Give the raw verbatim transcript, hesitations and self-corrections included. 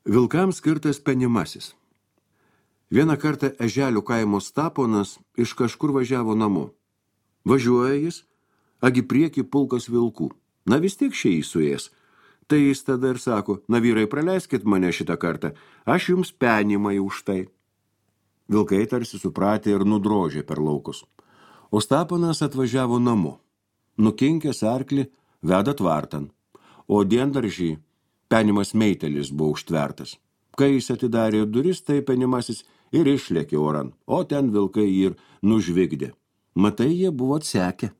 Vilkams skirtas penimasis. Vieną kartą Eželių kaimo Staponas iš kažkur važiavo namo. Važiuoja jis, agi prieki pulkas vilkų. Na vis tiek šiai suės. Tai jis tada ir sako, na vyrai, praleiskit mane šitą kartą, aš jums penimai už tai. Vilkai tarsi supratė ir nudrožė per laukus. O Staponas atvažiavo namo. Nukinkęs arklį, veda tvartan. O diendaržį penimas meitelis buvo užtvertas. Kai jis atidarė duris, tai penimasis ir išlėkė oran, o ten vilkai jį ir nužvigdė. Matai, jie buvo atsekę.